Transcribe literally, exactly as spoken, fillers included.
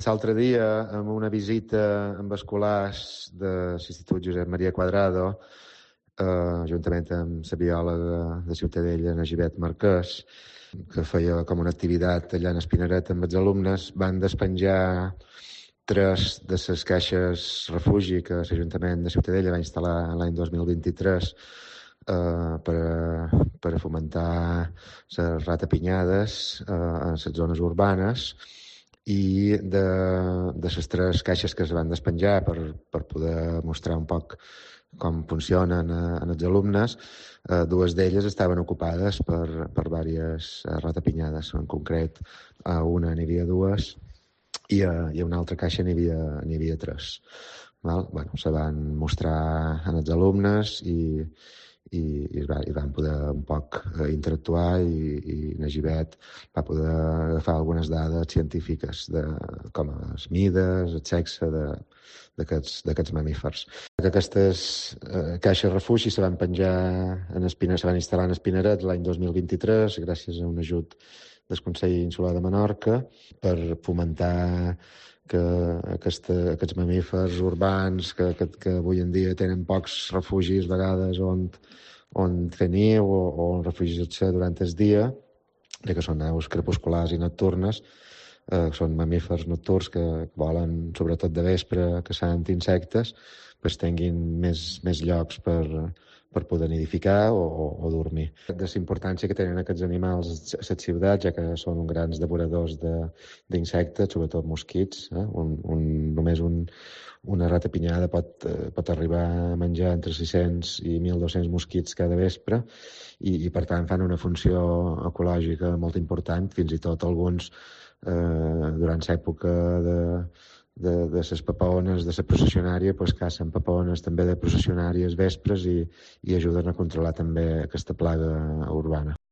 L'altre dia, amb una visita amb escolars de l'Institut Josep Maria Quadrado, eh, juntament amb la biòloga de Ciutadella, Nagivet Marquès, que feia com una activitat allà en Espinaret amb els alumnes, van despenjar tres de les caixes refugi que l'Ajuntament de Ciutadella va instal·lar l'any dos mil vint-i-tres eh, per, a, per a fomentar les ratapinyades eh, en les zones urbanes, i de, de les tres caixes que es van despenjar per, per poder mostrar un poc com funcionen eh, en els alumnes, eh, dues d'elles estaven ocupades per, per diverses eh, ratapinyades. En concret, a una n'hi havia dues i a, i a una altra caixa n'hi havia, n'hi havia tres. Val? Bueno, se van mostrar en els alumnes i, i, i, va, i van poder un poc eh, interactuar i, i Nagivet va poder agafar algunes dades científiques de com les mides, el sexe de, d'aquests mamífers. Aquestes eh, caixes refugi se van penjar en Espina, se van instal·lar en Espinaret l'any dos mil vint-i-tres gràcies a un ajut del Consell Insular de Menorca per fomentar que aquesta, aquests mamífers urbans que, que, que avui en dia tenen pocs refugis a vegades on, on fer niu o, o on refugiar-se durant el dia, ja que són aus crepusculars i nocturnes, eh, són mamífers nocturns que, que volen sobretot de vespre, caçant insectes, pues tinguin més, més llocs per, per poder nidificar o, o, o dormir. De la importància que tenen aquests animals a les ciutats, ja que són grans devoradors d'insectes, sobretot mosquits. Eh? Un, un, només un, una ratapinyada pot, eh, pot arribar a menjar entre sis-cents i mil dos-cents mosquits cada vespre i, i per tant fan una funció ecològica molt important, fins i tot alguns eh, durant l'època de de, de les papaones de la processionària, pues, cacen papaones també de processionàries vespres i, i ajuden a controlar també aquesta plaga urbana.